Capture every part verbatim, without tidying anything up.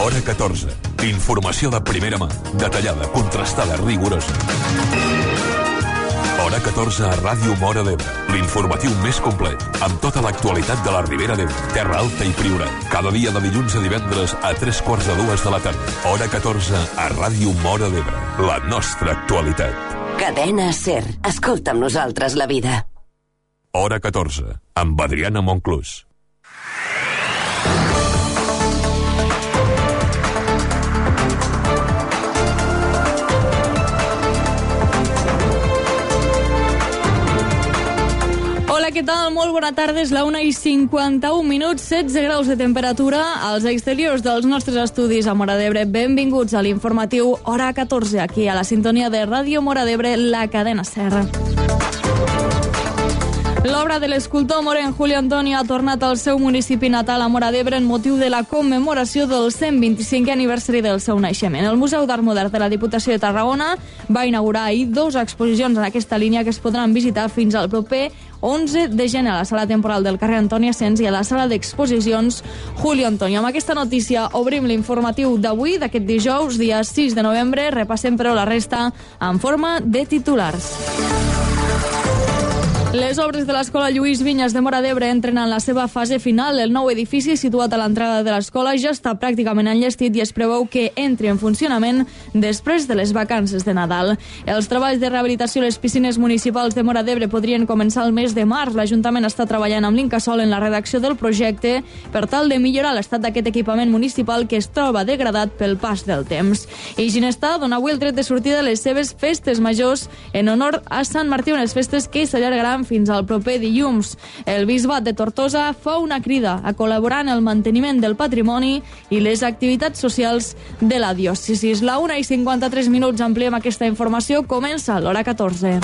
Hora catorze. Informació de primera mà, detallada, contrastada, rigorosa. Hora catorze a Ràdio Móra d'Ebre. L'informatiu més complet, amb tota l'actualitat de la Ribera d'Ebre, Terra Alta i Priorat. Cada dia de dilluns a divendres a tres quarts de dues de la tarda. Hora catorze a Ràdio Móra d'Ebre. La nostra actualitat. Cadena SER. Escolta amb nosaltres la vida. Hora catorze, amb Adriana Monclús. Hola, què tal? Molt bona tarda. És la una i cinquanta-un minuts, setze graus de temperatura als exteriors dels nostres estudis a Móra d'Ebre. Benvinguts a l'informatiu Hora catorze, aquí a la sintonia de Ràdio Móra d'Ebre, la cadena SER. L'obra de l'escultor morenc Julio Antonio ha tornat al seu municipi natal a Móra d'Ebre en motiu de la commemoració del cent vint-i-cinquè aniversari del seu naixement. El Museu d'Art Modern de la Diputació de Tarragona va inaugurar ahir dues exposicions en aquesta línia que es podran visitar fins al proper onze de gener a la sala temporal del carrer Antoni Asens i a la sala d'exposicions Julio Antonio. Amb aquesta notícia obrim l'informatiu d'avui, d'aquest dijous, dia sis de novembre. Repassem, però, la resta en forma de titulars. Les obres de l'Escola Lluís Vinyes de Móra d'Ebre entren en la seva fase final. El nou edifici, situat a l'entrada de l'escola, ja està pràcticament enllestit i es preveu que entri en funcionament després de les vacances de Nadal. Els treballs de rehabilitació a les piscines municipals de Móra d'Ebre podrien començar el mes de març. L'Ajuntament està treballant amb l'Incasòl en la redacció del projecte per tal de millorar l'estat d'aquest equipament municipal que es troba degradat pel pas del temps. I Ginestar dona avui el tret de sortida de les seves festes majors en honor a Sant Martí, unes festes que s'allargaran fins al proper dilluns. El Bisbat de Tortosa fa una crida a col·laborar en el manteniment del patrimoni i les activitats socials de la diòcesi. La una i cinquanta-tres minuts, ampliem aquesta informació. Comença l'Hora catorze.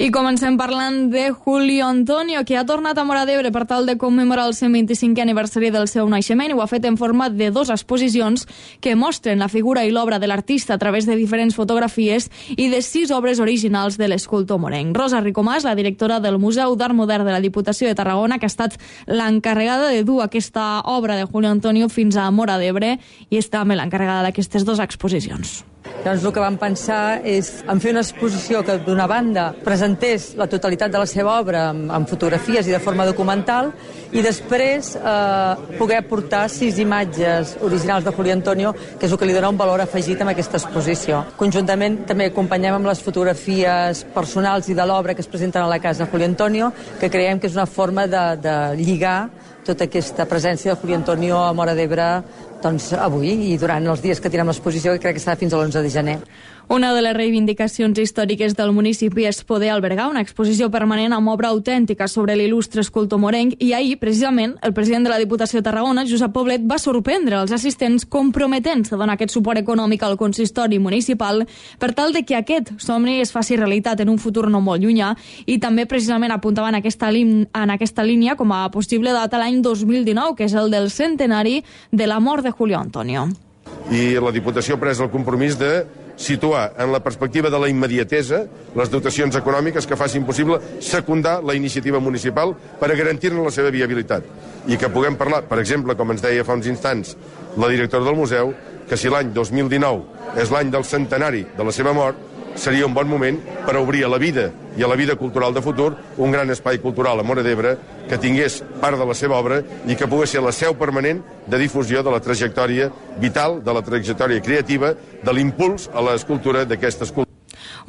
I comencem parlant de Julio Antonio, que ha tornat a Móra d'Ebre per tal de commemorar el cent vint-i-cinquè aniversari del seu naixement, i ho ha fet en format de dues exposicions que mostren la figura i l'obra de l'artista a través de diferents fotografies i de sis obres originals de l'escultor morenc. Rosa Ricomàs, la directora del Museu d'Art Modern de la Diputació de Tarragona, que ha estat l'encarregada de dur aquesta obra de Julio Antonio fins a Móra d'Ebre, i és també l'encarregada d'aquestes dues exposicions. Doncs el que vam pensar és en fer una exposició que, d'una banda, presentés la totalitat de la seva obra amb, amb fotografies i de forma documental, i després eh, poder portar sis imatges originals de Julio Antonio, que és el que li dona un valor afegit a aquesta exposició. Conjuntament també acompanyem amb les fotografies personals i de l'obra que es presenten a la casa de Julio Antonio, que creiem que és una forma de, de lligar tota aquesta presència de Julio Antonio a Móra d'Ebre doncs, avui i durant els dies que tindrem l'exposició, que crec que serà fins a l'onze de gener. Una de les reivindicacions històriques del municipi és poder albergar una exposició permanent amb obra autèntica sobre l'il·lustre escultor morenc, i ahir, precisament, el president de la Diputació de Tarragona, Josep Poblet, va sorprendre els assistents comprometent-se a donar aquest suport econòmic al consistori municipal per tal de que aquest somni es faci realitat en un futur no molt llunyà, i també precisament apuntava en aquesta, en aquesta línia com a possible data l'any dos mil dinou, que és el del centenari de la mort de Julio Antonio. I la Diputació ha pres el compromís de situar en la perspectiva de la immediatesa les dotacions econòmiques que facin possible secundar la iniciativa municipal per a garantir-ne la seva viabilitat. I que puguem parlar, per exemple, com ens deia fa uns instants la directora del museu, que si l'any dos mil dinou és l'any del centenari de la seva mort, seria un bon moment per obrir a la vida i a la vida cultural de futur un gran espai cultural a Móra d'Ebre que tingués part de la seva obra i que pogués ser la seu permanent de difusió de la trajectòria vital, de la trajectòria creativa, de l'impuls a l'escultura d'aquesta escultura.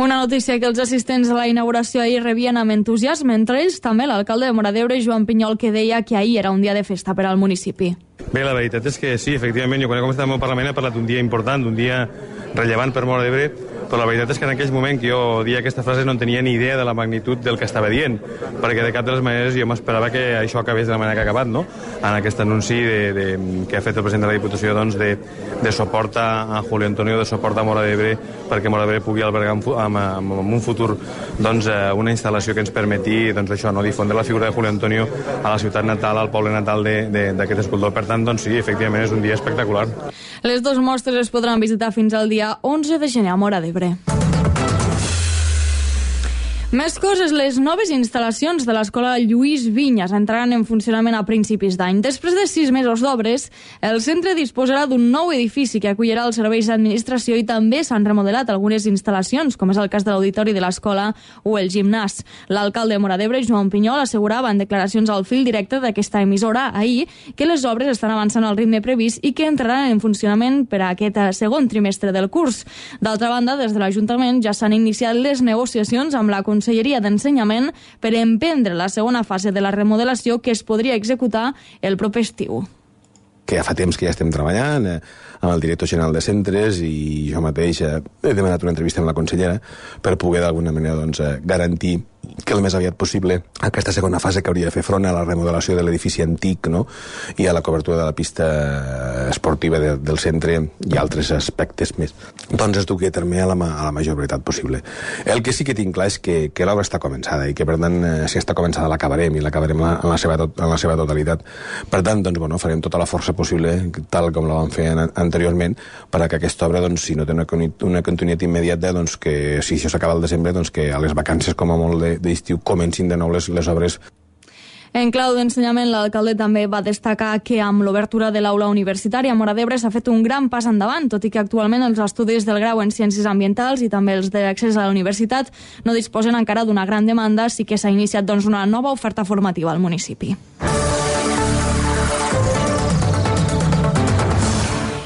Una notícia que els assistents a la inauguració ahir rebien amb entusiasme, entre ells també l'alcalde de Móra d'Ebre, Joan Pinyol, que deia que ahir era un dia de festa per al municipi. Bé, la veritat és que sí, efectivament, jo quan he començat el meu Parlament he parlat d'un dia important, d'un dia rellevant per Móra d'Ebre, però la veritat és que en aquell moment que jo dia aquesta frase no tenia ni idea de la magnitud del que estava dient, perquè de cap de les maneres jo m'esperava que això acabés de la manera que ha acabat, no? En aquest anunci de, de, que ha fet el president de la Diputació, doncs, de, de suport a Julio Antonio, de suport a Móra d'Ebre, perquè Móra d'Ebre pugui albergar en, en, en un futur doncs, una instal·lació que ens permeti doncs, això, no? Difondre la figura de Julio Antonio a la ciutat natal, al poble natal d'aquest escultor. Per tant, doncs sí, efectivament és un dia espectacular. Les dues mostres es podran visitar fins al dia onze de gener a Móra d'Ebre. Més coses, les noves instal·lacions de l'Escola Lluís Vinyes entraran en funcionament a principis d'any. Després de sis mesos d'obres, el centre disposarà d'un nou edifici que acollirà els serveis d'administració i també s'han remodelat algunes instal·lacions, com és el cas de l'auditori de l'escola o el gimnàs. L'alcalde de Móra d'Ebre, Joan Pinyol, assegurava en declaracions al fil directe d'aquesta emissora ahir que les obres estan avançant al ritme previst i que entraran en funcionament per a aquest segon trimestre del curs. D'altra banda, des de l'Ajuntament ja s'han iniciat les negociacions amb la Conselleria d'Ensenyament per emprendre la segona fase de la remodelació que es podria executar el proper estiu. Que ja fa temps que ja estem treballant eh, amb el director general de centres i jo mateix eh, he demanat una entrevista amb la consellera per poder d'alguna manera doncs, eh, garantir que el més aviat possible aquesta segona fase que hauria de fer front a la remodelació de l'edifici antic, no? I a la cobertura de la pista esportiva de, del centre i altres aspectes més. Doncs es duqui a terme a la, a la major veritat possible. El que sí que tinc clar és que, que l'obra està començada i que per tant eh, si està començada l'acabarem i l'acabarem en, la seva tot, en la seva totalitat. Per tant, doncs, bueno, farem tota la força possible, tal com la vam fer an anteriorment, per a que aquesta obra, doncs, si no té una, una continuïtat immediata, doncs que si això s'acaba al desembre, doncs que a les vacances com a molt de d'estiu comencin de nou les, les obres. En clau d'ensenyament, l'alcalde també va destacar que amb l'obertura de l'aula universitària a Móra d'Ebre s'ha fet un gran pas endavant, tot i que actualment els estudis del grau en Ciències Ambientals i també els d'accés a la universitat no disposen encara d'una gran demanda, sí que s'ha iniciat doncs, una nova oferta formativa al municipi.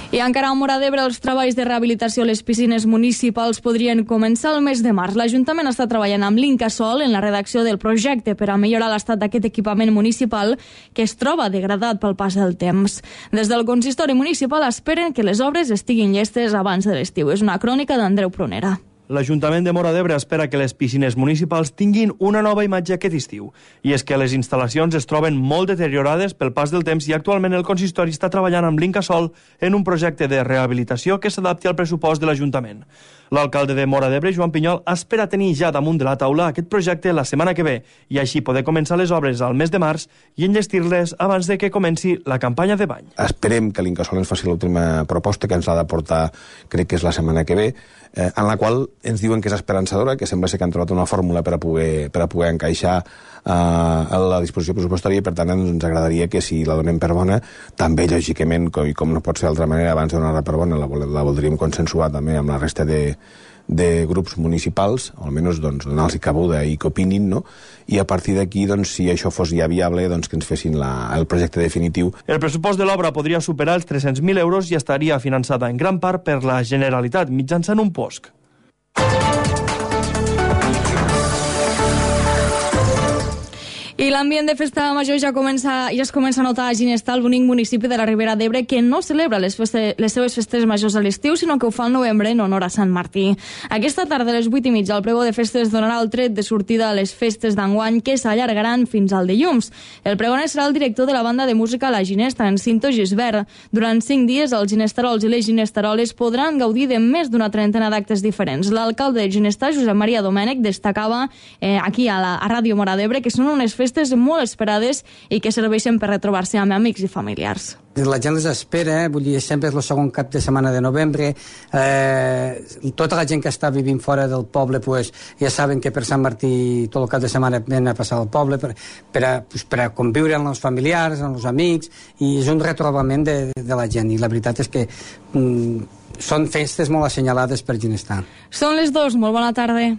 I encara a Móra d'Ebre, els treballs de rehabilitació a les piscines municipals podrien començar el mes de març. L'Ajuntament està treballant amb l'Incasòl en la redacció del projecte per a millorar l'estat d'aquest equipament municipal que es troba degradat pel pas del temps. Des del consistori municipal esperen que les obres estiguin llestes abans de l'estiu. És una crònica d'Andreu Prunera. L'Ajuntament de Móra d'Ebre espera que les piscines municipals tinguin una nova imatge aquest estiu. I és que les instal·lacions es troben molt deteriorades pel pas del temps i actualment el consistori està treballant amb l'Incasòl en un projecte de rehabilitació que s'adapti al pressupost de l'Ajuntament. L'alcalde de Móra d'Ebre, Joan Pinyol, espera tenir ja damunt de la taula aquest projecte la setmana que ve i així poder començar les obres al mes de març i enllestir-les abans de que comenci la campanya de bany. Esperem que l'Incasòl ens faci l'última proposta que ens l'ha de portar, crec que és la setmana que ve, eh, en la qual ens diuen que és esperançadora, que sembla ser que han trobat una fórmula per a poder, per a poder encaixar eh, a la disposició pressupostària i per tant ens agradaria que si la donem per bona, també lògicament, com, i com no pot ser d'altra manera, abans de donar-la per bona, la, la voldríem consensuar també amb la resta de, de grups municipals, o almenys doncs, donar-los cabuda i que opinin, no? I a partir d'aquí, doncs, si això fos ja viable, doncs, que ens fessin la, el projecte definitiu. El pressupost de l'obra podria superar els tres-cents mil euros i estaria finançada en gran part per la Generalitat mitjançant un P O S C. I l'ambient de festa major ja, comença, ja es comença a notar a Ginestar, el bonic municipi de la Ribera d'Ebre, que no celebra les, feste, les seves festes majors a l'estiu, sinó que ho fa al novembre en honor a Sant Martí. Aquesta tarda, a les vuit i mitja, el pregó de festes donarà el tret de sortida a les festes d'enguany, que s'allargaran fins al dilluns. El pregoner serà el director de la banda de música La Ginesta, en Cinto Gisbert. Durant cinc dies, els ginestarols i les ginestaroles podran gaudir de més d'una trentena d'actes diferents. L'alcalde de Ginestar, Josep Maria Domènech, destacava eh, aquí a la a Ràdio Móra d'Ebre que són unes festes molt esperades i que serveixen per retrobar-se amb amics i familiars. La gent les espera, vull dir, sempre és el segon cap de setmana de novembre, eh, tota la gent que està vivint fora del poble pues, ja saben que per Sant Martí tot el cap de setmana ven a passar al poble per, per, a, pues, per a conviure amb els familiars, amb els amics, i és un retrobament de, de la gent, i la veritat és que mm, són festes molt assenyalades per Ginestar. Són les dues, molt bona tarda.